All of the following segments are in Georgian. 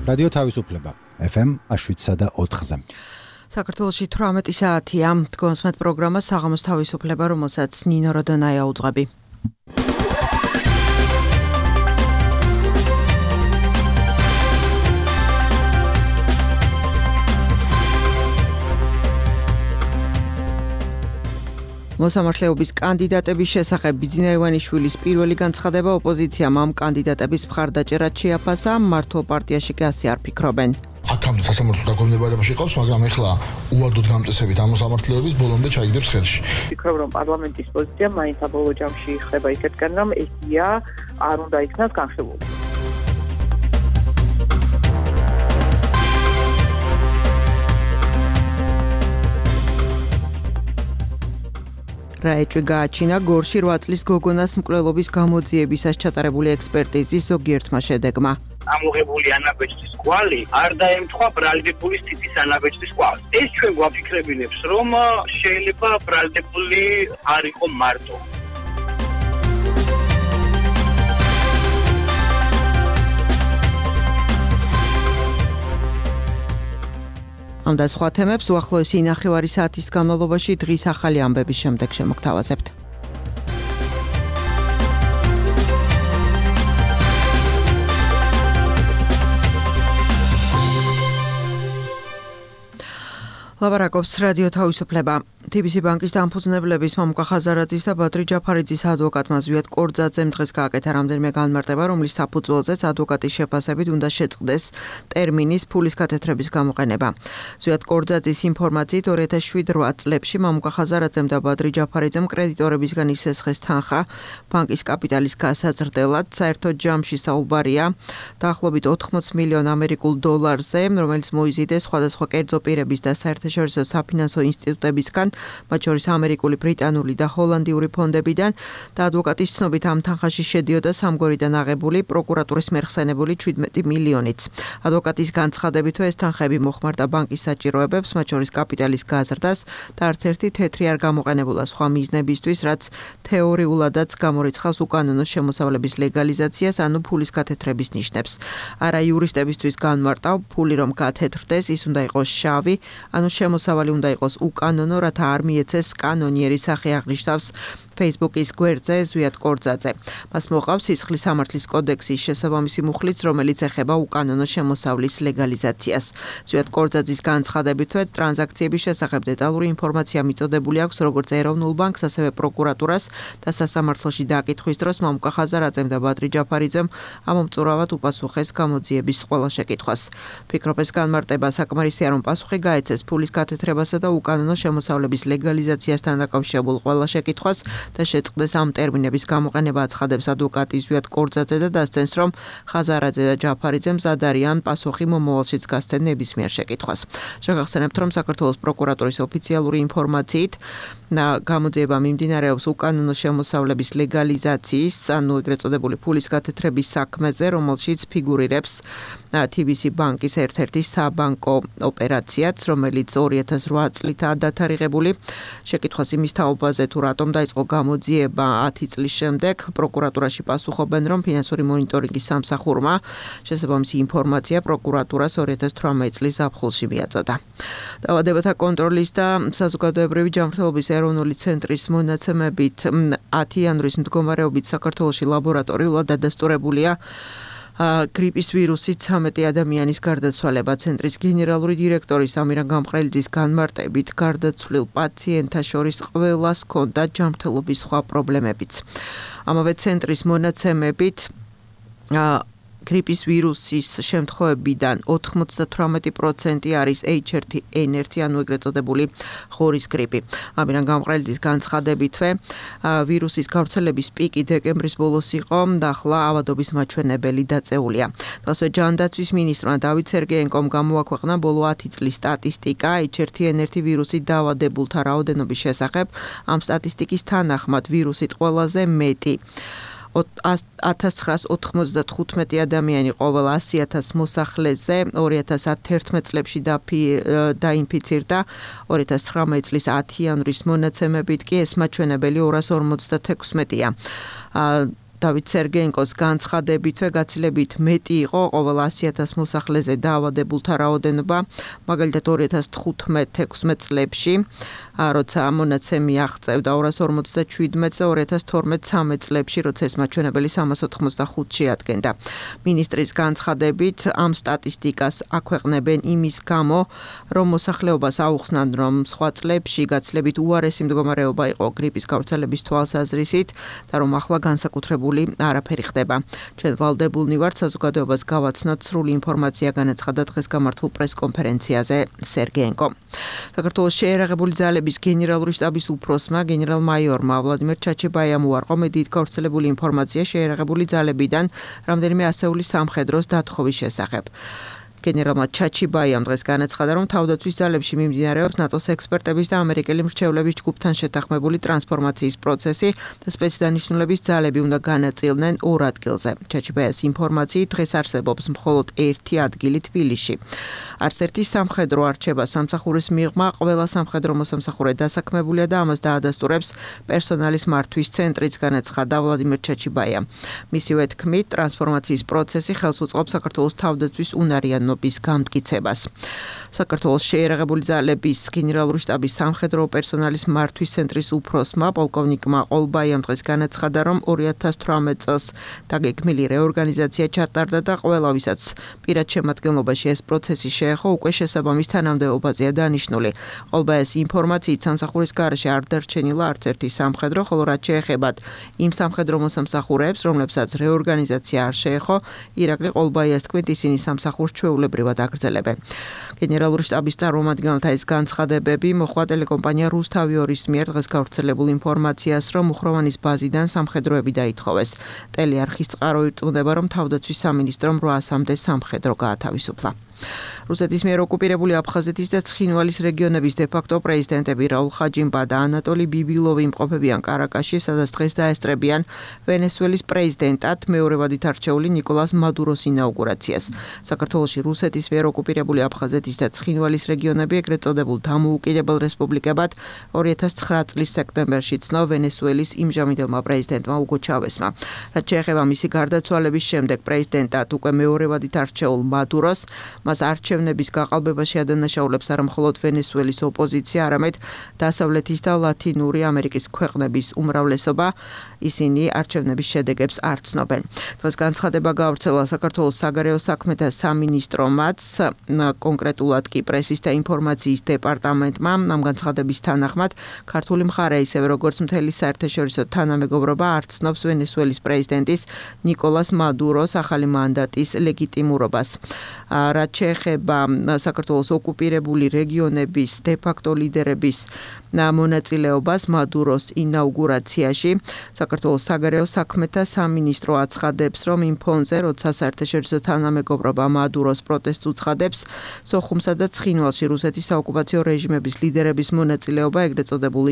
რადიო თავისუფლება FM 7.4-ზე. საქართველოში 18 საათია. დგომსმეთ პროგრამა საღამოს თავისუფლება, რომელსაც ნინო როდონაია უძღვები. მოსამართლეობის კანდიდატების შესახებ ბიძინა ივანიშვილის პირველი განცხადება ოპოზიციამ ამ კანდიდატების მხარდაჭერად შეაფასა, მართლ პარტიაში კი ასე არ ფიქრობენ. აქამდე სასამართლო დაგონებარებაში ყავს, მაგრამ ეხლა უადოდ გამწესებით ამ მოსამართლეების ბოლომდე ჩაიგდებს ხელში. ვფიქრობ, რომ პარლამენტის პოზიცია მაინც საბოლოო ჯამში ხდება ისეთკენ, რომ ესია არ უნდა იქნას განხილული. რა ეჭვი გააჩინა გორში 8 წლის გოგონას მკვლელობის გამოძიებისას ჩატარებული ექსპერტიზის ზოგიერთმა შედეგმა. ამოღებული ანაბეჭდის კვალი არ დაემთხვა ბრალდებულის ტიპის ანაბეჭდის კვალს. ეს ჩვენ გვაფიქრებინებს, რომ შეიძლება ბრალდებული არ იყო მარტო. ამ და სხვა თემებს უახლოესი 9 საათის განმავლობაში დღის ახალი ამბების შემდეგ შემოგთავაზებთ. ლაბარაკობს რადიო თავისუფლება. TBC ბანკის დამფუძნებლების მამუკა ხაზარაძის და ბადრი ჯაფარიძის ადვოკატმა ზვიად კორძაძემ დღეს გააკეთა რამდენიმე განმარტება, რომლის საფუძველზეც ადვოკატის შეფასებით უნდა შეწყდეს ტერმინის ფულის გათეთრების გამოყენება. ზვიად კორძაძის ინფორმაციით 2007-8 წლებში მამუკა ხაზარაძემ და ბადრი ჯაფარიძემ კრედიტორებისგან ისესხეს თანხა ბანკის კაპიტალის გასაზრდელად. საერთოდ ჯამში საუბარია დაახლოებით 80 მილიონ ამერიკულ დოლარზე, რომელიც მოიზიდეს სხვადასხვა კერძო პირების და საერთაშორისო საფინანსო ინსტიტუტებისგან, მათ შორის ამერიკული, ბრიტანული და ჰოლანდიური ფონდებიდან და ადვოკატის ცნობით ამ თანხაში შედიოდა სამგორიდან აღებული პროკურატურის მერხსენებული 17 მილიონიც. ადვოკატის განცხადებით, ეს თანხები მოხმარდა ბანკის საჭიროებებს, მათ შორის კაპიტალის გაზრდას და არც ერთი თეთრი არ გამოყენებულა სხვა მიზნებისთვის, რაც თეორიულადაც გამორიცხავს უკანონო შემოსავლების ლეგალიზაციას, ანუ ფულის გათეთრების ნიშნებს. არა იურისტებისთვის განმარტავ, ფული რომ გათეთრდეს, ის უნდა იყოს შავი, ანუ შემოსავალი უნდა იყოს უკანონო, რათა არ მიეცეს კანონიერი სახე აღნიშნავს Facebook-ის გვერდზე ზვიად კორძაძე. მას მოყავს სისხლის სამართლის კოდექსის შესაბამისი მუხლიც, რომელიც ეხება უკანონო შემოსავლის ლეგალიზაციას. ზვიად კორძაძის განცხადებით, ტრანზაქციების შესახებ დეტალური ინფორმაცია მიწოდებული აქვს როგორც ეროვნულ ბანკს, ასევე პროკურატურას და სასამართლოში დაკითხვის დროს მამუკა ხაზარაძემ და ბადრი ჯაფარიძემ ამომწურავად უპასუხეს გამოძიების ყველა შეკითხვას. ფიქრობ, ეს განმარტება საკმარისია, რომ პასუხი გაეცეს ფულის გათეთრებასა და უკანონო შემოსავლების ლეგალიზაციასთან დაკავშირებულ ყველა შეკითხვას და შეწყდეს ამ ტერმინების გამოყენება, აცხადებს ადვოკატი ზვიად კორძაძე და დასცენს, რომ ხაზარაძე და ჯაფარიძე მზად არიან პასუხი მომავალშიც გასცენ ნებისმიერ შეკითხვას. შეგახსენებთ, რომ საქართველოს პროკურატურის ოფიციალური ინფორმაციით გამოძიება მიმდინარეობს უკანონო შემოსავლების ლეგალიზაციის, ანუ ეგრეთ წოდებული ფულის გათეთრების საქმეზე, რომელშიც ფიგურირებს TBC ბანკის ერთ-ერთი საბანკო ოპერაციაც, რომელიც 2008 წლითაა დათარიღებული. შეკითხვას იმის თაობაზე, თუ რატომ დაიწყო გამოძიება 10 წლის შემდეგ, პროკურატურაში პასუხობენ, რომ ფინანსური მონიტორინგის სამსახურმა შესაბამისი ინფორმაცია პროკურატურას 2018 წლის ზაფხულში მიაწოდა. დაავადებათა კონტროლის და საზოგადოებრივი ჯანმრთელობის ეროვნული ცენტრის მონაცემებით 10 იანვრის მდგომარეობით საქართველოში ლაბორატორიულად დადასტურებულია გრიპის ვირუსით 13 ადამიანის გარდაცვალება. ცენტრის გენერალური დირექტორი სამირან გამყრელიძის განმარტებით, გარდაცვლილ პაციენტთა შორის ყველას ჰქონდა ჯანმრთელობის სხვა პრობლემებიც. ამავე ცენტრის მონაცემებით გრიპის ვირუსის შემთხვევებიდან 98% არის H1N1, ანუ ეგრეთ წოდებული ღორის გრიპი. ამირან გამყრელიძის განცხადებითვე, ვირუსის გავრცელების პიკი დეკემბრის ბოლოს იყო და ახლა ავადობის მაჩვენებელი დაწეულია. ასევე ჯანდაცვის მინისტრმა დავით სერგეენკომ გამოაქვეყნა ბოლო 10 წლის სტატისტიკა H1N1 ვირუსით დაავადებულთა რაოდენობის შესახებ. ამ სტატისტიკის თანახმად ვირუსით ყველაზე მეტი 1995 ადამიანი ყოველ 100,000 მოსახლეზე 2011 წლებში დაინფიცირდა. 2019 წლის 10 იანვრის მონაცემებით კი ეს მაჩვენებელი 256-ია. დავით სერგეენკოს განცხადებითვე გაცილებით მეტი იყო ყოველ 100,000 მოსახლეზე დაავადებულთა რაოდენობა, მაგალითად 2015-16 წლებში, როცა მონაცემი აღწევდა 257 და 2012-13 წლებში, როცა ეს მაჩვენებელი 385-ში ადგენდა. მინისტრის განცხადებით ამ სტატისტიკას აქვეყნებენ იმის გამო, რომ მოსახლეობას აუხსნან, რომ სხვა წლებში გაცილებით უარესი მდგომარეობა იყო გრიპის გავრცელების თვალსაზრისით და რომ ახლა განსაკუთრებული არაფერი ხდება. ჩვენ ვალდებულნი ვართ საზოგადოებას გავაცნოთ სრული ინფორმაცია, განაცხადა დღეს გამართულ პრესკონფერენციაზე სერგეენკო. საქართველოს შეერაღებული ძალების გენერალური შტაბის უფროსმა გენერალ-მაიორმა ვლადიმერ ჩაჩებაიამ უარყო მედიით გავრცელებული ინფორმაცია შეერაღებული ძალებიდან რამდენიმე ასეული სამხედროს დათხოვის შესახებ. გენერალმა ჩაჩიბაიამ დღეს განაცხადა, რომ თავდაცვის ძალებში მიმდინარეობს ნატოს ექსპერტების და ამერიკელი მრჩევლების ჯგუფთან შეთანხმებული ტრანსფორმაციის პროცესი და სპეცდანიშნულების ძალები უნდა განაწილდნენ ორ ადგილზე. ჩაჩიბაიას ინფორმაციით დღეს არსებობს მხოლოდ ერთი ადგილი თბილისში. არც ერთი სამხედრო არჩევა სამსახურის მიღმა ყველა სამხედრო მოსამსახურე დასაქმებულია და ამას დაადასტურებს პერსონალის მართვის ცენტრიც, განაცხადა ვლადიმერ ჩაჩიბაიამ. მისივე თქმით, ტრანსფორმაციის პროცესი ხელს უწყობს საქართველოს თავდაცვის უნარიან გამტკიცებას. საქართველოს შეერაღებული ძალების გენერალური შტაბის სამხედრო პერსონალის მართვის ცენტრის უფროსმა პოლკოვნიკმა ყოლბაიამ დღეს განაცხადა, რომ 2018 წელს დაგეგმილი რეორგანიზაცია ჩატარდა და ყველა ვისაც პირად შემადგენლობაში ეს პროცესი შეეხო, უკვე შესაბამის თანამდებობაზეა დანიშნული. ყოლბაიას ინფორმაციით სამსახურის გარეშე არ დარჩენილა არც ერთი სამხედრო, ხოლო რაც შეეხებათ იმ სამხედრო მოსამსახურეებს, რომლებსაც რეორგანიზაცია არ შეეხო, ირაკლი ყოლბაიას თქმით, ისინი სამსახურს ჩვეულებრივად აგრძელებენ. გენერალური შტაბის წარმომადგენელთა ეს განცხადებები მოხდა ტელეკომპანია რუსთავი-2-ის მიერ დღეს გავრცელებულ ინფორმაციას, რომ მუხროვანის ბაზიდან სამხედროები დაითხოვეს. ტელეარხის წყარო ირწმუნება, რომ თავდაცვის სამინისტრომ 800-მდე სამხედრო გაათავისუფლა. რუსეთის მიერ ოკუპირებული აფხაზეთის და ცხინვალის რეგიონების დე-ფაქტო პრეზიდენტები რაულ ხაჯიმბა და ანატოლი ბიბილოვი იმყოფებიან კარაკაში, სადაც დღეს დაესწრებიან ვენესუელის პრეზიდენტად მეორევადით არჩეული ნიკოლას მადუროს ინაუგურაციას. საქართველოში რუსეთის მიერ ოკუპირებული აფხაზეთის და ცხინვალის რეგიონები ეგრეთ წოდებულ დამოუკიდებელ რესპუბლიკებად 2009 წლის სექტემბერში ცნო ვენესუელის იმჟამინდელმა პრეზიდენტმა უგო ჩავესმა. რაც შეეხება მისი გარდაცვალების შემდეგ პრეზიდენტად უკვე მეორევადით არჩეულ მადუროს, მას არჩევნების გაყალბებაში ადანაშაულებს არა მხოლოდ ვენესუელის ოპოზიცია, არამედ დასავლეთის და ლათინური ამერიკის ქვეყნების უმრავლესობა. ისინი არჩევნების შედეგებს არ ცნობენ. დღეს განცხადება გავრცელა საქართველოს საგარეო საქმეთა სამინისტრომაც, კონკრეტულად კი პრესის და ინფორმაციის დეპარტამენტმა. ამ განცხადების თანახმად ქართული მხარე ისევე როგორც მთელი საერთაშორისო თანამეგობრობა არ ცნობს ვენესუელის პრეზიდენტის ნიკოლას მადუროს ახალი მანდატის ლეგიტიმურობას. რაც შეეხება საქართველოს ოკუპირებული რეგიონების დე-ფაქტო ლიდერების მონაწილეობას მადუროს ინაუგურაციაში, საქართველოს საგარეო საქმეთა სამინისტრო აცხადებს, რომ იმ ფონზე, როცა საერთაშორისო თანამეგობრობა მადუროს პროტესტს უცხადებს, სოხუმსა და ცხინვალში რუსეთის საოკუპაციო რეჟიმების ლიდერების მონაწილეობა ეგრეთ წოდებულ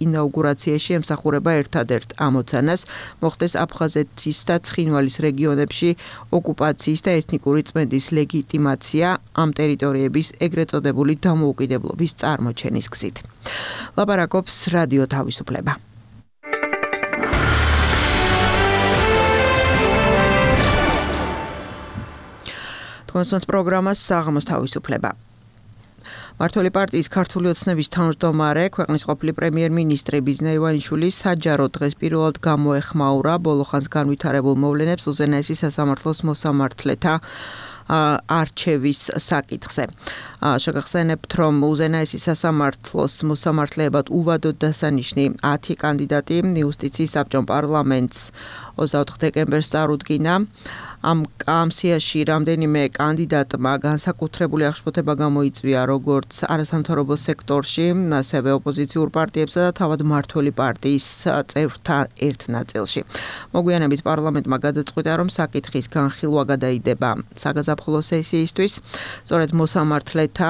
ინაუგურაციაში ემსახურება ერთადერთ ამოცანას, მოხდეს აფხაზეთის და ცხინვალის რეგიონებში ოკუპაციის და ეთნიკური წმენდის ლეგიტიმაცია ამ ტერიტორიების ეგრეთ წოდებული დამოუკიდებლობის წარმოჩენის გზით. ლაპარაკობს რადიო თავისუფლება. თქვენს პროგრამას საღამოს თავისუფლება. მართველი პარტიის ქართული ოცნების თავმჯდომარე, ქვეყნის ყოფილი პრემიერ-მინისტრი ბიზნა ივანიშვილი საჯაროდ დღეს პირველად გამოეხმაურა ბოლოხანს განვითარებულ მოვლენებს უზენაესი სასამართლოს მოსამართლეთა არჩევის საკითხზე. შეგახსენებთ, რომ უზენაესი სასამართლოს მოსამართლეებად უვადოდ დასანიშნი 10 კანდიდატი იუსტიციის საბჭომ პარლამენტს 24 დეკემბერს წარუდგინა. ამ სიაში რამდენიმე კანდიდატმა განსაკუთრებული აღშფოთება გამოიწვია როგორც არასამთავრობო სექტორში, ასევე ოპოზიციურ პარტიებსა და თავად მმართველი პარტიის წევრთა ერთ ნაწილში. მოგვიანებით პარლამენტმა გადაწყვიტა, რომ საკითხის განხილვა გადაიდება საგაზაფხულო სესიისთვის. სწორედ მოსამართლეთა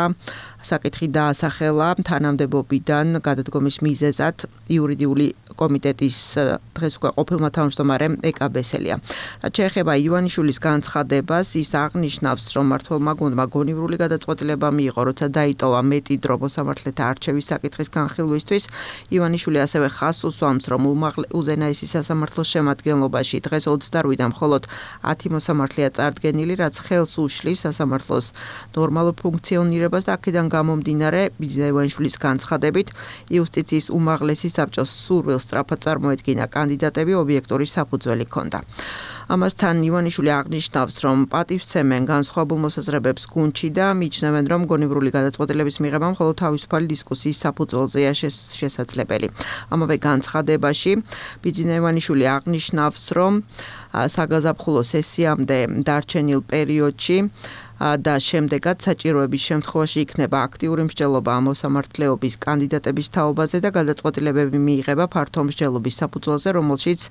საკითხი დაასახელა თანამდებობიდან გადადგომის მიზეზად იურიდიული კომიტეტის დღეს უკვე ყოფილმა თავმჯდომარემ ეკა ბესელია. რაც შეეხება ივანიშვილის განცხადებას, ის აღნიშნავს, რომ მმართველმა გუნდმა გონივრული გადაწყვეტილება მიიღო, როცა დაიტოვა მეტი დრო მოსამართლეთა არჩევის საკითხის განხილვისთვის. ივანიშვილი ასევე ხაზს უსვამს, რომ უზენაესი სასამართლოს შემადგენლობაში დღეს 28-დან მხოლოდ 10 მოსამართლეა წარდგენილი, რაც ხელს უშლის სასამართლოს ნორმალურ ფუნქციონირებას და აქედან გამომდინარე ბიძინა ივანიშვილის განცხადებით იუსტიციის უმაღლესი საბჭოს სურვილს სწრაფად წარმოედგინა კანდიდატები ობიექტური საფუძველი ჰქონდა. ამასთან ივანიშვილი აღნიშნავს, რომ პატივსცემენ განსხვავებულ მოსაზრებებს გუნდში და მიჩნევენ, რომ გონივრული გადაწყვეტილების მიღება მხოლოდ თავისუფალი დისკუსიის საფუძველზეა შესაძლებელი. ამავე განცხადებაში ბიძინა ივანიშვილი აღნიშნავს, რომ საგაზაფხულო სესიამდე დარჩენილ პერიოდში და შემდეგაც საჭიროების შემთხვევაში იქნება აქტიური მსჯელობა მოსამართლეობის კანდიდატების თაობაზე და გადაწყვეტილებები მიიღება ფართო მსჯელობის საფუძველზე, რომელშიც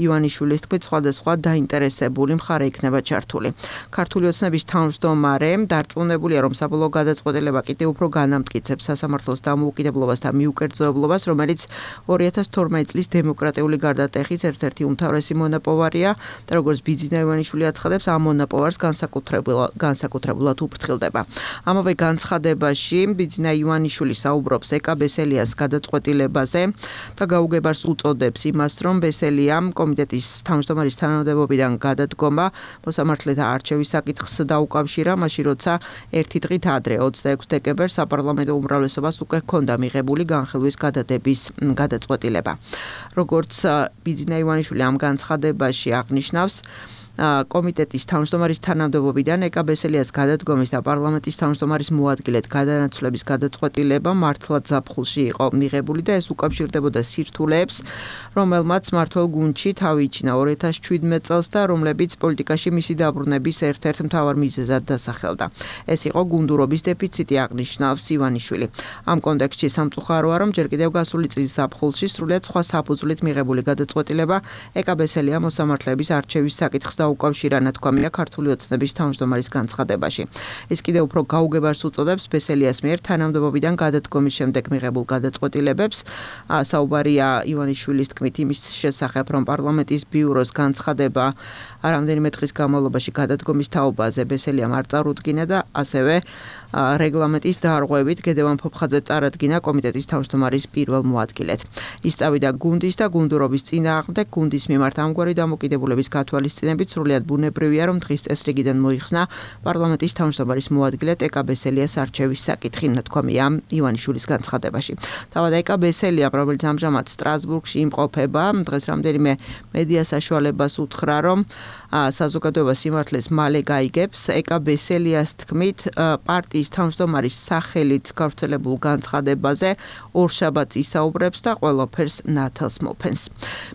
ივანიშვილის თქმით სხვადასხვა დაინტერესებული მხარე იქნება ჩართული. ქართული ოცნების თავმჯდომარე დარწმუნებულია, რომ საბოლოო გადაწყვეტილება კიდევ უფრო განამტკიცებს სასამართლოს დამოუკიდებლობას და მიუკერძოებლობას, რომელიც 2012 წლის დემოკრატიული გარდატეხის ერთ-ერთი უმთავრესი მონაპოვარია და როგორც ბიძინა ივანიშვილი აცხადებს, ამ მონაპოვარს განსაკუთრებულად უფრთხილდება. ამავე განცხადებაში ბიძინა ივანიშვილი საუბრობს ეკა ბესელიას გადაწყვეტილებაზე და გაუგებარს უწოდებს იმას, რომ ბესელიამ კომიტეტის თავმჯდომარის თანამდებობიდან გადადგომა მოსამართლეთა არჩევის საკითხს დაუკავშირა, მაშინ როცა ერთი დღით ადრე 26 დეკემბერს საპარლამენტო უმრავლესობას უკვე ჰქონდა მიღებული განხილვის გადადების გადაწყვეტილება. როგორც ბიძინა ივანიშვილი ამ განცხადებაში აღნიშნავს, კომიტეტის თავმჯდომარის თანამდებობიდან ეკა ბესელიას გადადგომის და პარლამენტის თავმჯდომარის მოადგილედ გადანაცვლების გადაწყვეტილება მართლაც ზაფხულში იყო მიღებული და ეს უკავშირდებოდა სირთულეებს, რომელმაც მმართველ გუნდში თავი იჩინა 2017 წელს და რომლებიც პოლიტიკაში მისი დაბრუნების ერთ-ერთ მთავარ მიზეზად დასახელდა. ეს იყო გუნდურობის დეფიციტი, აღნიშნავს ივანიშვილი. ამ კონტექსტში სამწუხაროა, რომ ჯერ კიდევ გასული წლის ზაფხულში სრულიად სხვა საფუძვლით მიღებული გადაწყვეტილება ეკა ბესელია მოსამართლეების არჩევის საკითხს უკავშირა ნათქვამია ქართული ოცნების თავმჯდომარის განცხადებაში. ის კიდევ უფრო გაუგებარს უწოდებს ბესელიას მიერ თანამდებობიდან გადადგომის შემდეგ მიღებულ გადაწყვეტილებებს. საუბარია ივანიშვილის თქმით იმის შესახებ, რომ პარლამენტის ბიუროს განცხადება რამდენიმე დღის განმავლობაში გადადგომის თაობაზე ბესელიამ არ წარუდგინა და ასევე რეგლამენტის დარღვევით გედევან ფოფხაძე წარადგინა კომიტეტის თავმჯდომარის პირველ მოადგილედ. ის წავიდა გუნდის და გუნდურობის წინააღმდეგ, გუნდის მიმართ ამგვარი დამოკიდებულების გათვალისწინებით სრულიად ბუნებრივია, რომ დღის წესრიგიდან მოიხსნა პარლამენტის თავმჯდომარის მოადგილედ ეკა ბესელიას არჩევის საკითხი, ნათქვამია ივანიშვილის განცხადებაში. თავად ეკა ბესელია, რომელიც ამჟამად სტრასბურგში იმყოფება, დღეს რამდენიმე მედია საშუალებას უთხრა, რომ საზოგადოება სიმართლეს მალე გაიგებს. ეკა ბესელიას თქმით, პარტიის თავმჯდომარის სახელით გავრცელებულ განცხადებაზე ორშაბათს ისაუბრებს და ყველაფერს ნათელს მოფენს.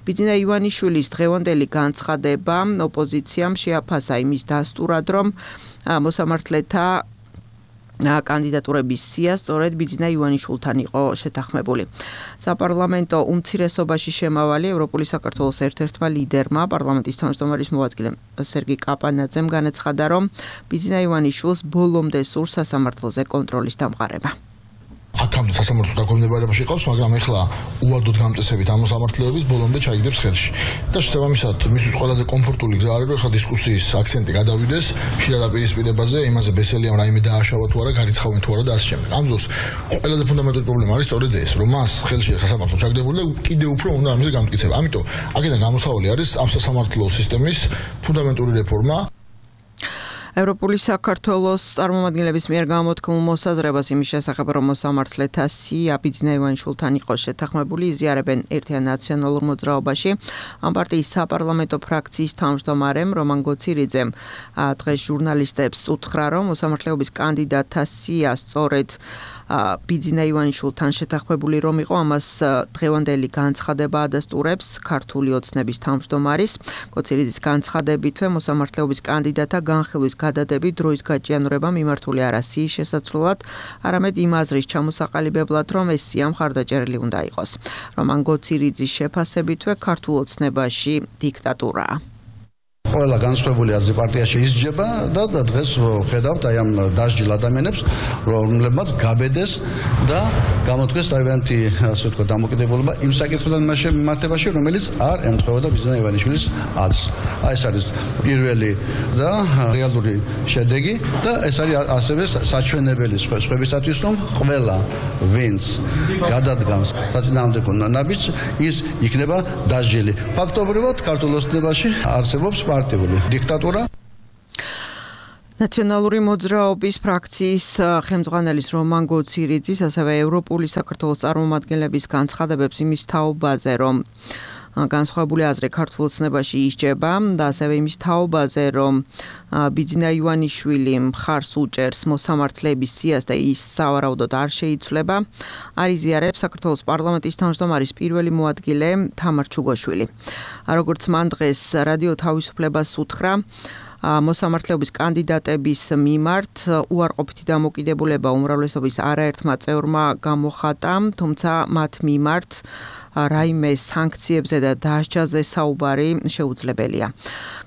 ბიძინა ივანიშვილის დღევანდელი განცხადება ოპოზიციამ შეაფასა იმის დასტურად, რომ მოსამართლეთა კანდიდატურების სია სწორედ ბიძინა ივანიშვილთან იყო შეთანხმებული. საპარლამენტო უმცირესობაში შემავალი ევროპული საქართველოს ერთ-ერთმა ლიდერმა პარლამენტის თავმჯდომარის მოადგილემ სერგი კაპანაძემ განაცხადა, რომ ბიძინა ივანიშვილს ბოლომდე სურს სასამართლოზე კონტროლის დამყარება. აქამდე სასამართლოს დაქვემდებარებაში ყავს, მაგრამ ეხლა უადოდ გამწესებით ამ მოსამართლეების ბოლომდე ჩაიგდებს ხელში. და შესაბამისად, მისთვის ყველაზე კომფორტული გზა არის, რომ ეხლა დისკუსიის აქცენტი გადავიდეს შიდა დაპირისპირებაზე, იმაზე ბესელიამ რაიმე დააშავა თუ არა, გარიცხავენ თუ არა და ასე შემდეგ. ამ დროს ყველაზე ფუნდამენტური პრობლემა არის სწორედ ეს, რომ მას ხელში სასამართლო ჩაგდებული და კიდევ უფრო უნდა ამაზე გამტკიცება. ამიტომ აქედან გამოსავალი არის ამ სასამართლო სისტემის ფუნდამენტური რეფორმა. ევროპული საქართველოს წარმომადგენლების მიერ გამოთქმულ მოსაზრებას იმის შესახებ, რომ მოსამართლეთა სია ბიძინა ივანიშვილთან იყო შეთანხმებული, იზიარებენ ერთიან ნაციონალურ მოძრაობაში. ამ პარტიის საპარლამენტო ფრაქციის თავმჯდომარემ რომან გოცირიძემ დღეს ჟურნალისტებს უთხრა, რომ მოსამართლეობის კანდიდატთა სია სწორედ ბიძინა ივანიშვილთან შეთანხმებული რომ იყო, ამას დღევანდელი განცხადება ადასტურებს ქართული ოცნების თავმჯდომარის. გოცირიძის განცხადებითვე მოსამართლეობის კანდიდატთა განხილვის გადადებით დროის გაჭიანურება მიმართული არა სიის შესაცვლელად, არამედ იმ აზრის ჩამოსაყალიბებლად, რომ ეს სია მხარდაჭერილი უნდა იყოს. რომან გოცირიძის შეფასებითვე ქართულ ოცნებაში დიქტატურაა. ყველა განსხვავებული აზრი პარტიაში ისჯება და დღეს ხედავთ აი ამ დასჯილ ადამიანებს, რომლებმაც გაბედეს და გამოთქვეს თავიანთი, ასე ვთქვათ, დამოკიდებულება იმ საკითხთან მიმართებაში, რომელიც არ ემთხვეოდა ბიზნა ივანიშვილის აზრს. აი ეს არის პირველი და რეალური შედეგი და ეს არის ასევე საჩვენებელი სხვებისათვის, რომ ყველა ვინც გადადგამს საწინააღმდეგო ნაბიჯს, ის იქნება დასჯილი. ფაქტობრივად ქართულ ოცნებაში არსებობს პარტიული დიქტატურა. ნაციონალური მოძრაობის ფრაქციის ხელმძღვანელის რომან გოცირიძის, ასევე ევროპული საქართველოს წარმომადგენლების განცხადებებს იმის თაობაზე, რომ განსხვავებული აზრი ქართულ ოცნებაში ისჯება და ასევე იმის თაობაზე, რომ ბიძინა ივანიშვილი მხარს უჭერს მოსამართლეების სიას და ის სავარაუდოდ არ შეიცვლება, არ იზიარებს საქართველოს პარლამენტის თავმჯდომარის პირველი მოადგილე თამარ ჩუგოშვილი. როგორც მან დღეს რადიო თავისუფლებას უთხრა, მოსამართლეობის კანდიდატების მიმართ უარყოფითი დამოკიდებულება უმრავლესობის არაერთმა წევრმა გამოხატა, თუმცა მათ მიმართ რაიმე სანქციებზე და დასჯაზე საუბარი შეუძლებელია.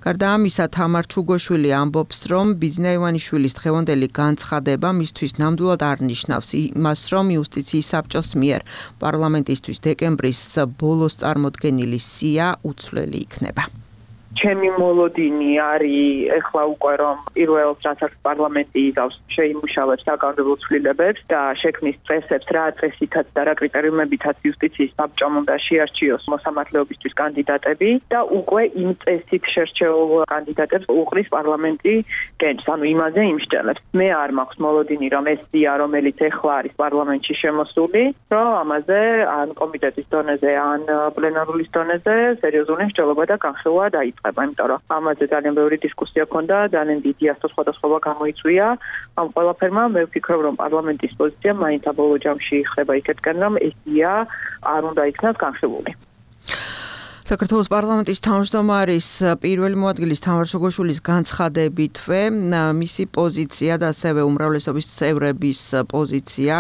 გარდა ამისა, თამარ ჩუგოშვილი ამბობს, რომ ბიძინა ივანიშვილის დღევანდელი განცხადება მისთვის ნამდვილად არ ნიშნავს იმას, რომ იუსტიციის საბჭოს მიერ პარლამენტისთვის დეკემბრის ბოლოს წარმოდგენილი სია უცვლელი იქნება. ჩემი მოლოდინი არის ეხლა უკვე რომ პირველ რასაც პარლამენტი იღავს შეიმუშავებს საკანონმდებლო ცვლილებებს და შექმნის წესებს რა წესითაც და რა კრიტერიუმებითაც იუსტიციის საბჭომ უნდა შეარჩიოს მოსამართლეობისთვის კანდიდატები და უკვე იმ წესით შერჩეულ კანდიდატებს უყრის პარლამენტი გენს, ანუ იმაზე იმსჯელებს. მე არ მაქვს მოლოდინი რომ ეს სია რომელიც ეხლა არის პარლამენტში შემოსული, რომ ამაზე ან კომიტეტის დონეზე ან პლენარულის დონეზე სერიოზული მსჯელობა და განხილვა დაიწყება. იმიტომ რომ ამაზე ძალიან ბევრი დისკუსია ჰქონდა, ძალიან დიდი ასოთხვადასხვა გამოიწვია ამ ყველაფერმა. მე ვფიქრობ, რომ პარლამენტის პოზიცია მაინც საბოლოო ჯამში ხდება იქეთკენ, რომ ესია არ უნდა იქნას განხილული. საქართველოს პარლამენტის თავმჯდომარის პირველი მოადგილის თამარ ჩუგოშვილის განცხადებითვე მისი პოზიცია და ასევე უმრავლესობის წევრების პოზიცია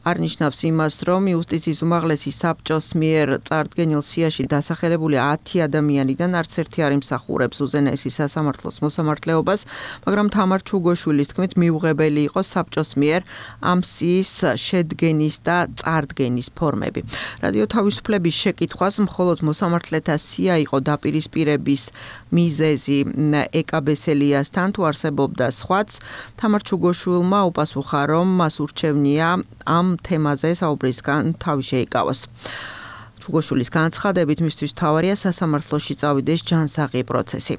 არ ნიშნავს იმას, რომ იუსტიციის უმაღლესი საბჭოს მიერ წარდგენილ სიაში დასახელებული 10 ადამიანიდან არც ერთი არ იმსახურებს უზენაესი სასამართლოს მოსამართლეობას, მაგრამ თამარ ჩუგოშვილის თქმით მიუღებელი იყო საბჭოს მიერ ამ სიის შედგენის და წარდგენის ფორმები. რადიო თავისუფლების შეკითხვას მხოლოდ მოსამართლეთა სია იყო დაპირისპირების მიზეზი ეკაბესელიასთან თუ არსებობდა სხვაც, თამარ ჩუგოშვილმა უპასუხა, რომ მას ურჩევნია ამ თემაზე საუბრისგან თავი შეიკავოს. ჩუგოშვილის განცხადებით მისთვის თავარია სასამართლოში წავიდეს ჯანსაღი პროცესი.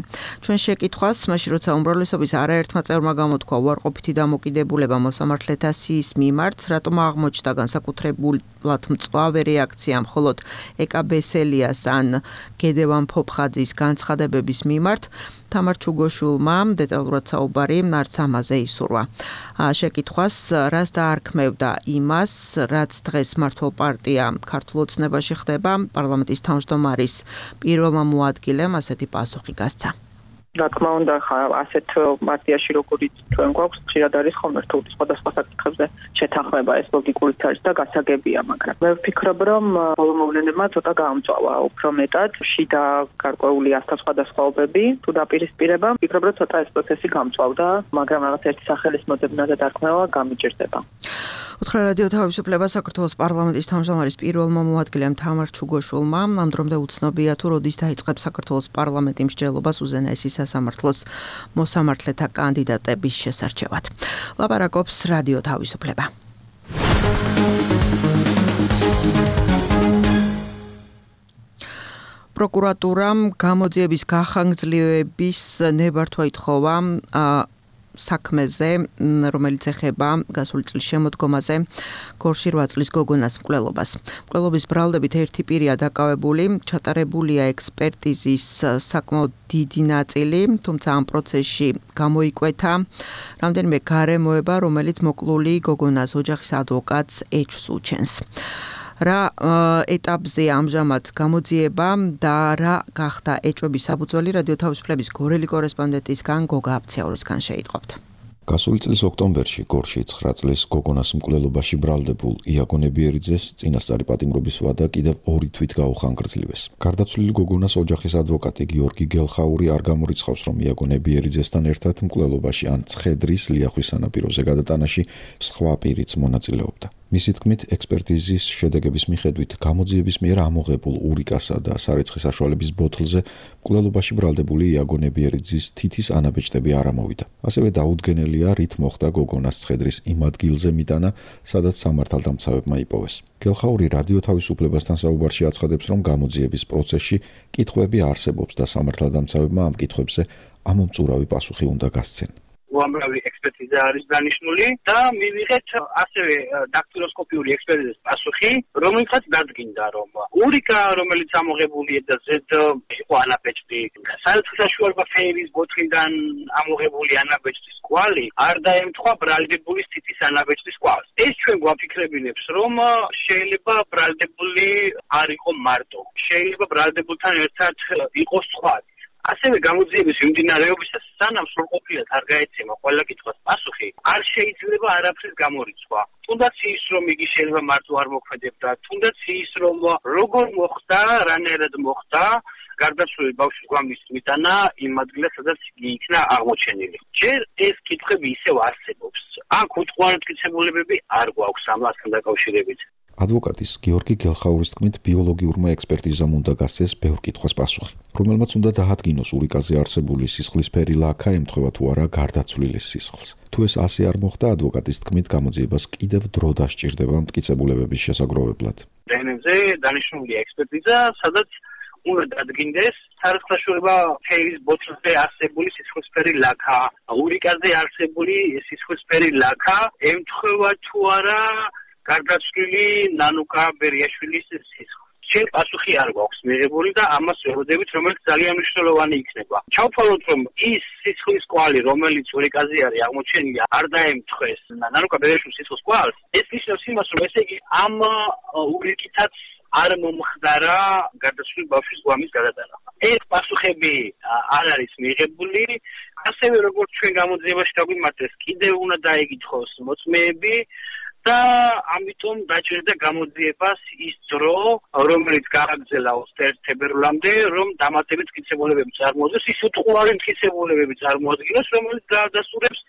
ჩვენ შეკითხვას, მაშინ როცა უმრავლესობის არაერთმა წევრმა გამოთქვა უარყოფითი დამოკიდებულება მოსამართლეთა სიის მიმართ, რატომ აღმოჩნდა განსაკუთრებულად მწვავე რეაქცია მხოლოდ ეკაბესელიას ან გედევან ფოფხაძის განცხადებების მიმართ, თამარ ჩუგოშვილმა დეტალურად საუბარი არც ამაზე ისურვა. შეკითხვას, რას დაარქმევდა იმას, რაც დღეს მართლ პარტია ქართულ ოცნებაში ხდება, პარლამენტის თავმჯდომარის პირველმა მოადგილემ ასეთი პასუხი გასცა. რა თქმა უნდა, ასეთ პარტიაში როგორიც ჩვენ გვაქვს, ხშირად არის ხოლმე რთული სხვადასხვა საკითხებზე შეთანხმება, ეს ლოგიკურიც არის და გასაგებია, მაგრამ მე ვფიქრობ, რომ ბოლო მოვლენებმა ცოტა გაამწვავა უფრო მეტად შიდა გარკვეული ასასხვადასხვაობები თუ დაპირისპირება. ვფიქრობ, რომ ცოტა ეს პროცესი გამწვავდა, მაგრამ რაღაც ერთი სახელის მოძებნა და დარქმევა გამიჭირდება. უთხრა რადიო თავისუფლება საქართველოს პარლამენტის თავმჯდომარის პირველმა მოადგილემ თამარ ჩუგოშვილმა ამ დრომდე უცნობია თუ როდის დაიწყებს საქართველოს პარლამენტი მსჯელობას უზენაესი სასამართლოს მოსამართლეთა კანდიდატების შესარჩევად. ლაპარაკობს რადიო თავისუფლება. პროკურატურამ გამოძიების გახანგრძლივების ნებართვა ითხოვა საქმეზე, რომელიც ეხება გასული წლის შემოდგომაზე გორში 8 წლის გოგონას მკვლელობას. მკვლელობის ბრალდებით ერთი პირია დაკავებული, ჩატარებულია ექსპერტიზის საკმაოდ დიდი ნაწილი, თუმცა ამ პროცესში გამოიკვეთა რამდენიმე გარემოება, რომელიც მოკლული გოგონას ოჯახის ადვოკატს ეჭვს უჩენს. რა ეტაპზე ამჟამად გამოძიება და რა გახდა ეჭვების საფუძველი რადიო თავისუფლების გორელი კორესპონდენტისგან გოგა აფციაურისგან შეიტყობთ. გასული წლის ოქტომბერში გორში 9 წლის გოგონას მკვლელობაში ბრალდებულ იაგო ნებიერიძეს წინასწარი პატიმრობის ვადა კიდევ 2 თვით გაუხანგრძლივეს. გარდაცვლილი გოგონას ოჯახის ადვოკატი გიორგი გელხაური არ გამორიცხავს, რომ იაგო ნებიერიძესთან ერთად მკვლელობაში ან ცხედრის ლიახვის სანაპიროზე გადატანაში სხვა პირიც მონაწილეობდა. მისი თქმით, ექსპერტიზის შედეგების მიხედვით გამოძიების მიერ ამოღებულ ურიკასა და სარეცხის საშუალების ბოთლზე მკვლელობაში ბრალდებული იაგო ნებიერიძის თითის ანაბეჭდები არ ამოვიდა. ასევე დაუდგენელია, რით მოხდა გოგონას ცხედრის იმ ადგილზე მიტანა, სადაც სამართალდამცავებმა იპოვეს. გელხაური რადიო თავისუფლებასთან საუბარში აცხადებს, რომ გამოძიების პროცესში კითხვები არსებობს და სამართალდამცავებმა ამ კითხვებზე ამომწურავი პასუხი უნდა გასცენ. უამრავი ექსპერტიზა არის დანიშნული და მივიღეთ ასევე დაქტილოსკოპიური ექსპერტიზის პასუხი, რომელიცაც დადგინდა, რომ ურიკა, რომელიც ამოღებულია და ზედ იყო ანაბეჭდი, სარეცხის საშუალება ფერის ბოთლიდან ამოღებული ანაბეჭდის კვალი არ დაემთხვა ბრალდებულის თითის ანაბეჭდის კვალს. ეს ჩვენ გვაფიქრებინებს, რომ შეიძლება ბრალდებული არ იყო მარტო, შეიძლება ბრალდებულთან ერთად იყოს სხვა. ასევე გამოძიების მიმდინარეობისას სანამ სრულყოფილად არ გაეცემა ყველა კითხვას პასუხი, არ შეიძლება არაფრის გამორიცხვა. თუნდაც ის, რომ იგი შეიძლება მარტო არ მოქმედებდა, თუნდაც ის, რომ როგორ მოხდა, რანაირად მოხდა, გარდაცვლილი ბავშვის გვამის მიტანა იმ ადგილას, სადაც იგი იქნა აღმოჩენილი. ჯერ ეს კითხვები ისევ არსებობს. აქ უთხოვარი მტკიცებულებები არ გვაქვს ამასთან დაკავშირებით. ადვოკატის გიორგი გელხაურის თქმით, ბიოლოგიურმა ექსპერტიზამ უნდა გასცეს ბევრ კითხვას პასუხი, რომელმაც უნდა დაადგინოს ურიკაზე არსებული სისხლისფერი ლაქა ემთხვევა თუ არა გარდაცვლილის სისხლს. თუ ეს ასე არ მოხდა, ადვოკატის თქმით, გამოძიებას კიდევ დრო დასჭირდება მტკიცებულებების შესაგროვებლად. დნმ-ზე დანიშნულია ექსპერტიზა, სადაც უნდა დადგინდეს სარეცხის საშუალება ფერის ბოთლზე არსებული სისხლისფერი ლაქა, ურიკაზე არსებული სისხლისფერი ლაქა ემთხვევა თუ არა გარდაცვლილი ნანუკა ბერიაშვილის სისხლს. შენ პასუხი არ გვაქვს მიღებული და ამას ვეუბნებით, რომელიც ძალიან მნიშვნელოვანი იქნება. ჩავთვალოთ, რომ ის სისხლის კვალი, რომელიც ურიკაზე არის აღმოჩენილი, არ დაემთხვეს ნანუკა ბერიაშვილის სისხლის კვალს, ეს ნიშნავს იმას, რომ ესე იგი ამ ურიკითაც არ მომხდარა გარდაცვლილი ბავშვის გვამის გადატანა. ეს პასუხები არ არის მიღებული, ასევე როგორც ჩვენ გამოძიებაში დაგვიმართეს, კიდევ უნდა დაეკითხოს მოწმეები და ამიტომ დაჭირდა გამოძიებას ის დრო, რომელიც გააგრძელა 21 თებერვლამდე, რომ დამატებით მტკიცებულებები წარმოადგინოს, ის უთხოვარი მტკიცებულებები წარმოადგინოს, რომელიც დაადასტურებს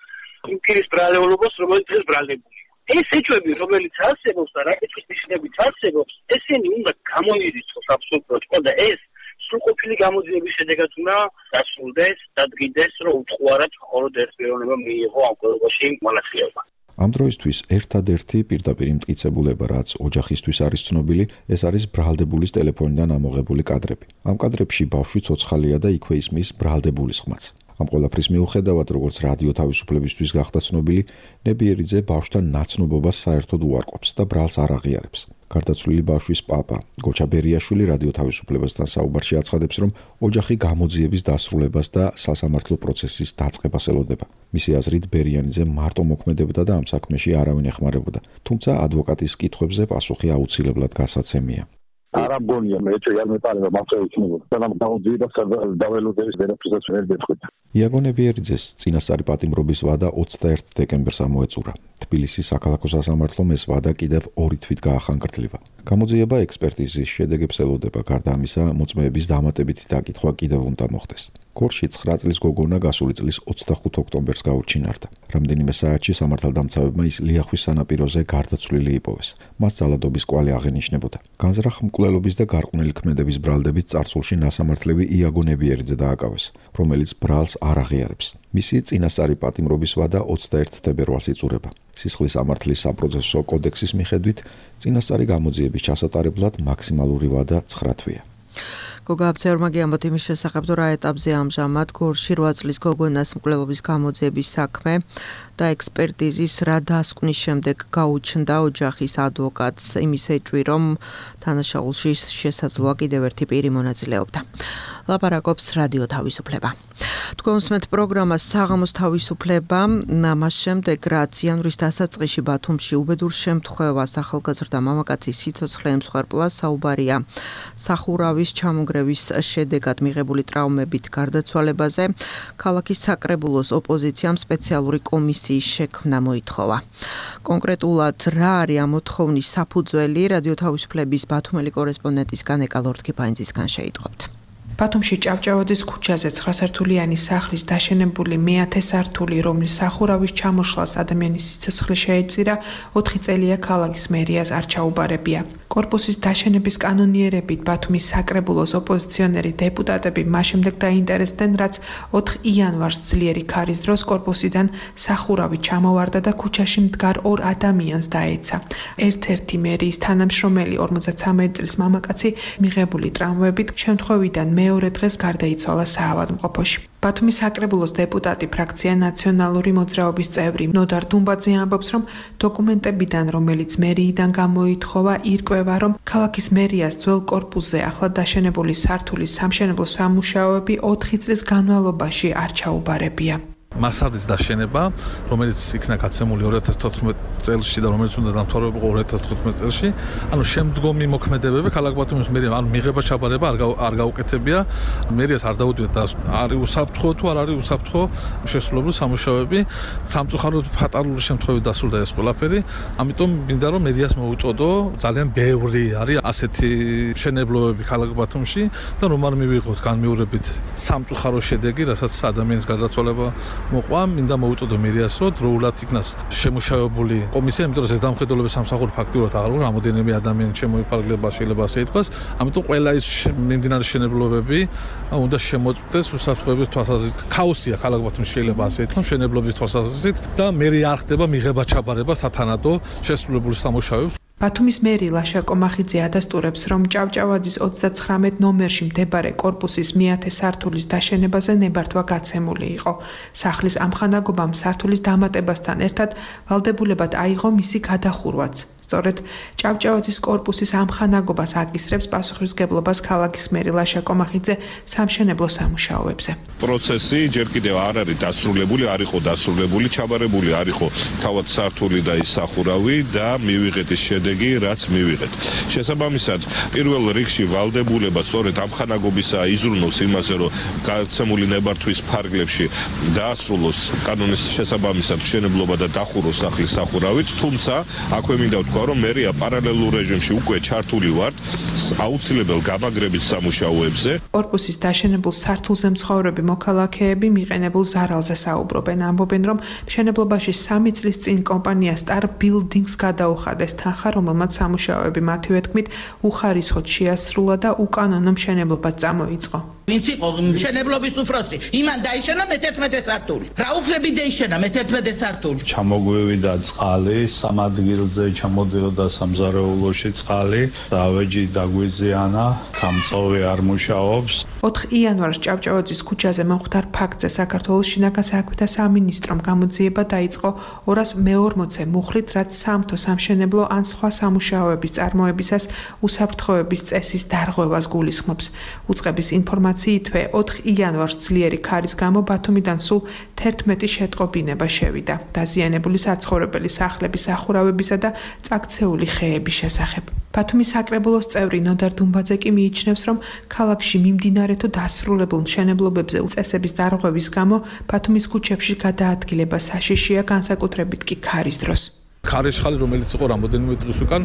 იმ პირის ბრალეულობას, რომელიც დღეს ბრალდებულია. ეს ეჭვები, რომელიც არსებობს და რაკითხვის ნიშნებით არსებობს, ესენი უნდა გამოირიცხოს აბსოლუტურად და ეს სრულყოფილი გამოძიების შედეგად უნდა დასრულდეს, დადგინდეს, რომ უთხოვარად მხოლოდ ერთ პიროვნება მიიღო ამ კოლეგიაში მონაწილეობა. ამ დროისთვის ერთადერთი პირდაპირ მტკიცებულება, რაც ოჯახისთვის არის ცნობილი, ეს არის ბრალდებულის ტელეფონიდან ამოღებული კადრები. ამ კადრებში ბავშვი ცოცხალია და იქვე ისმის ბრალდებულის ხმაც. ამ ყველაფრის მიუხედავად, როგორც რადიო თავისუფლებისთვის გახდა ცნობილი, ნებიერიძე ბავშვთან ნაცნობობას საერთოდ უარყოფს და ბრალს არ აღიარებს. გარდაცვლილი ბავშვის პაპა, გოჩა ბერიაშვილი რადიო თავისუფლებასთან საუბარში აცხადებს, რომ ოჯახი გამოძიების დასრულებას და სასამართლო პროცესის დაწყებას ელოდება. მისი აზრით, ბერიანიძე მარტო მოქმედებდა და ამ საქმეში არავინ ეხმარებოდა, თუმცა ადვოკატის კითხვებზე პასუხი აუცილებლად გასაცემია. არა მგონია მე არ მეპარება მარტო იქნება და გამოძიებას დაველოდების ვერაფერსაც ვერ გეტყვით. იაგო ნებიერიძეს წინასწარი პატიმრობის ვადა 21 დეკემბერს ამოეწურა. თბილისის საქალაქო სასამართლომ ეს ვადა კიდევ 2 თვით გაახანგრძლիვა. გამოძიება ექსპერტიზის შედეგებს ელოდება, გარდა ამისა, მოწმეების დამატებითი დაკითხვა კიდევ უნდა მოხდეს. გორში 9 წლის გოგონა გასული წლის 25 ოქტომბერს გაუჩინარდა. რამდენიმე საათში სამართალდამცავებმა ის ლიახვის სანაპიროზე გარდაცვლილი იპოვეს. მას ძალადობის კვალი აღენიშნებოდა. განზრახ მკვლელობის და გარყვნილი ქმედების ბრალდებით წარსულში ნასამართლები იაგო ნებიერიძე დააკავეს, რომელიც ბრალს არ აღიარებს. მისი წინასწარი პატიმრობის ვადა 21 თებერვალს იწურება. სისხლის სამართლის საპროცესო კოდექსის მიხედვით, წინასწარი გამოძიების ჩასატარებლად მაქსიმალური ვადა 9 თვეა. გოგა აბცეურმა გიამბოთ იმის შესახებ, თუ რა ეტაპზე ამჟამად გორში 8 წლის გოგონას მკვლელობის გამოძიების საქმე და ექსპერტიზის რა დასკვნის შემდეგ გაუჩნდა ოჯახის ადვოკატს იმის ეჭვი, რომ თანაშაულში შესაძლოა კიდევ ერთი პირი მონაწილეობდა. ლაპარაკობს რადიო თავისუფლება. თქვენსმეთ პროგრამას საღამოს თავისუფლება, მას შემდეგ რაც იანვრის დასაწყისში ბათუმში უბედურ შემთხვევას ახალგაზრდა მამაკაცის სიცოცხლე ემსხვერპლა, საუბარია სახურავის ჩამონგრევის შედეგად მიღებული ტრაუმებით გარდაცვალებაზე. ქალაქის საკრებულოს ოპოზიციამ სპეციალური კომისიის შექმნა მოითხოვა. კონკრეტულად რა არის ამ მოთხოვნის საფუძველი, რადიო თავისუფლების ბათუმელი კორესპონდენტისგან ეკა ლორთქიფანიძისგან შეიტყობთ. ბათუმში ჭავჭავაძის ქუჩაზე 9-სართულიანი სახლის დაშენებული მე-10 სართული, რომლის სახურავის ჩამოშლას ადამიანის სიცოცხლე შეეწირა, 4 წელია ქალაქის მერიას არ ჩაუბარებია. კორპუსის დაშენების კანონიერებით ბათუმის საკრებულოს ოპოზიციონერი დეპუტატები მას შემდეგ დაინტერესდნენ, რაც 4 იანვარს ძლიერი ქარის დროს კორპუსიდან სახურავი ჩამოვარდა და ქუჩაში მდგარ 2 ადამიანს დაეცა. ერთ-ერთი მერიის თანამშრომელი 53 წლის მამაკაცი მიღებული ტრაუმებით შემთხვევიდან მეორე დღეს გარდაიცვალა საავადმყოფოში. ბათუმის საკრებულოს დეპუტატი ფრაქცია ნაციონალური მოძრაობის წევრი ნოდარ დუმბაძე ამბობს, რომ დოკუმენტებიდან, რომელიც მერიიდან გამოითხოვა, ირკვევა, რომ ქალაქის მერიას ძველ კორპუსზე ახლად დაშენებული სართულის სამშენებლო სამუშაოები 4 წლის განმავლობაში არ ჩაუბარებია. მასალის დაშენება, რომელიც იქნა გაცემული 2014 წელს და რომელიც უნდა დამთავრებულიყო 2015 წელს, ანუ შემდგომი მოქმედებები ქალაქ ბათუმის მერიამ, ანუ მიღება ჩაბარება არ გაუკეთებია, მერიას არ დაუდიოთ და არის უსაფრთხო თუ არ არის უსაფრთხო შესრულებული სამუშაოები, სამწუხაროდ ფატალური შემთხვევით დასრულდა ეს ყველაფერი, ამიტომ მინდა რომ მერიას მოუწოდო, ძალიან ბევრი არის ასეთი მშენებლობები ქალაქ ბათუმში და რომ არ მივიღოთ განმეორებით სამწუხარო შედეგი, რასაც ადამიანის გარდაცვალება მოყვა, მინდა მოუწოდო მერიას, რომ დროულად იქნას შემუშავებული კომისია, იმიტომ რომ ეს დამხედველების სამსახური ფაქტიურად აღარ არის, რამოდენიმე ადამიანი შემოიფარგლება, შეიძლება ასე ითქვას, ამიტომ ყველა ის მიმდინარე მშენებლობები უნდა შემოწმდეს უსაფრთხოების თვალსაზრისით. ქაოსია ქალაქ ბათუმში, შეიძლება ასე ითქვას, მშენებლობის თვალსაზრისით და მერი არ ხდება მიღება ჩაბარება სათანადო შესრულებული სამუშაოებს. ბათუმის მერი ლაშა კომახიძე ადასტურებს, რომ ჭავჭავაძის 39 ნომერში მდებარე კორპუსის მე-10 სართულის დაშენებაზე ნებართვა გაცემული იყო. სახლის ამხანაგობამ სართულის დამატებასთან ერთად ვალდებულებად აიღო მისი გადახურვაც. სწორედ ჭავჭავაძის კორპუსის ამხანაგობას აკისრებს პასუხისმგებლობას ქალაქის მერი ლაშა კომახიძე სამშენებლო სამუშაოებზე. პროცესი ჯერ კიდევ არ არის დასრულებული, არ იყო დასრულებული, ჩაბარებული არ იყო თავად სართული და ის სახურავი და მივიღეთ ის შედეგი, რაც მივიღეთ. შესაბამისად, პირველ რიგში ვალდებულება სწორედ ამხანაგობისა იზრუნოს იმაზე, რომ გაცემული ნებართვის ფარგლებში დაასრულოს კანონის შესაბამისად მშენებლობა და დახუროს სახლის სახურავით, თუმცა აქვე მინდა რომ მერია პარალელურ რეჟიმში უკვე ჩართული ვართ აუცილებელ გამაგრების სამუშაოებზე. კორპუსის დაშენებულ სართულზე მცხოვრები მოქალაქეები მიყენებულ ზარალზე საუბრობენ, ამბობენ, რომ მშენებლობაში 3 წლის წინ კომპანია Star Buildings გადაუხადეს თანხა, რომელმაც სამუშაოები მათივე თქმით უხარისხოდ შეასრულა და უკანონო მშენებლობა წამოიწყო. ვინც იყო მშენებლობის უფროსი, იმან დაიშალა მე-11 სართული. რა უფლები დაიშალა მე-11 სართული? ჩამოგვევიდა წყალი, სამ ადგილზე ჩამოდიოდა სამზარეულოში წყალი, დავეჯი დაგვიზიანა, გამწოვი არ მუშაობს. 4 იანვარს ჭავჭავაძის ქუჩაზე მომხდარ ფაქტზე საქართველოს შინაგან საქმეთა სამინისტრომ გამოძიება დაიწყო 240 მუხლით, რაც სამთო სამშენებლო ან სხვა სამუშაოების წარმოებისას უსაფრთხოების წესის დარღვევას გულისხმობს. უწყების ინფორმაციითვე 4 იანვარს ძლიერი ქარის გამო ბათუმიდან სულ 11 შეტყობინება შევიდა. დაზიანებული საცხოვრებელი სახლების სახურავებისა და წაქცეული ხეების შესახებ. ბათუმის საკრებულოს წევრი ნოდარ დუმბაძე კი მიიჩნევს, რომ ქალაქში მიმდინარე თუ დასრულებულ მშენებლობებზე უწესების დარღვევის გამო ბათუმის ქუჩებში გადაადგილება საშიშია, განსაკუთრებით კი ქარის დროს. ქარიშხალი, რომელიც იყო რამოდენიმე დღის უკან,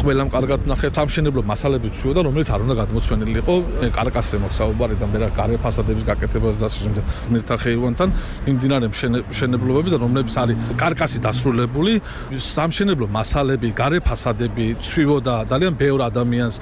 ყველამ კარგად ნახეთ, სამშენებლო მასალები ცვიოდა, რომელიც არ უნდა გადმოცვენილი იყო კარკასზე მოგსაუბარი და მერე გარე ფასადების გაკეთებას და შემდეგ მერთა ხეივანთან მიმდინარე მშენებლობები და რომლებიც არის კარკასი დასრულებული, სამშენებლო მასალები, გარე ფასადები ცვიოდა ძალიან ბევრ ადამიანს,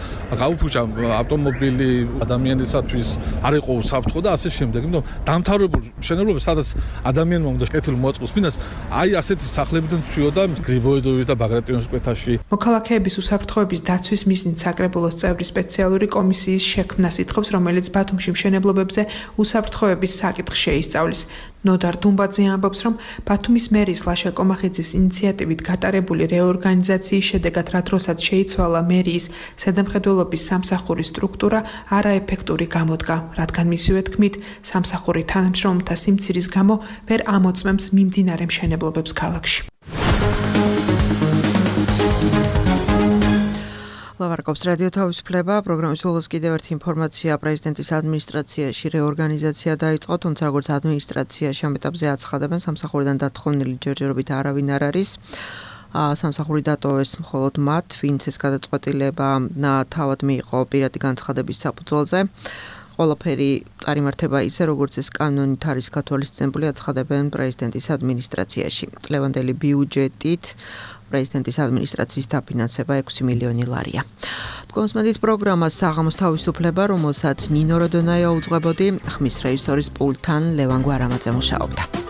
გაუფუჭა ავტომობილი ადამიანისათვის არ იყო უსაფრთხო და ასე შემდეგ. იმიტომ დამთავრებულ მშენებლობებს, სადაც ადამიანმა უნდა კეთილი მოაწყოს მინას, აი ასეთი სახლებიდან ცვიოდა გრიბოედოვის და ბაგრატიონის კვეთაში. მოქალაქეების უსაფრთხოების დაცვის მიზნით საკრებულოს წევრი სპეციალური კომისიის შექმნას ითხოვს, რომელიც ბათუმში მშენებლობებზე უსაფრთხოების საკითხს შეისწავლის. ნოდარ დუმბაძე ამბობს, რომ ბათუმის მერის ლაშა კომახიძის ინიციატივით გატარებული რეორგანიზაციის შედეგად რა დროსაც შეიცვალა მერიის ზედამხედველობის სამსახურის სტრუქტურა არაეფექტური გამოდგა, რადგან მისივე თქმით, სამსახური თანამშრომელთა სიმცირის გამო ვერ ამოწმებს მიმდინარე მშენებლობებს ქალაქში. ლავარაკობს რადიო თავისუფლება, პროგრამის ბოლოს კიდევ ერთი ინფორმაცია პრეზიდენტის ადმინისტრაციაში რეორგანიზაცია დაიწყო, თუმცა როგორც ადმინისტრაციაში ამ ეტაპზე აცხადებენ, სამსახურიდან დათხოვნილი ჯერჯერობით არავინ არ არის. სამსახური დატოვეს მხოლოდ მათ, ვინც ეს გადაწყვეტილება თავად მიიღო პირადი განცხადების საფუძველზე. ყველაფერი წარიმართება ისე, როგორც ეს კანონით არის გათვალისწინებული, აცხადებენ პრეზიდენტის ადმინისტრაციაში. წლევანდელი ბიუჯეტით პრეზიდენტის ადმინისტრაციის დაფინანსება 6 მილიონი ლარია. კონსმედით პროგრამას საღამოს თავისუფლება, რომელსაც ნინო როდონაია უძღვებოდი, ხმის რეჟისორის პულტთან ლევან გვარამაძე მუშაობდა.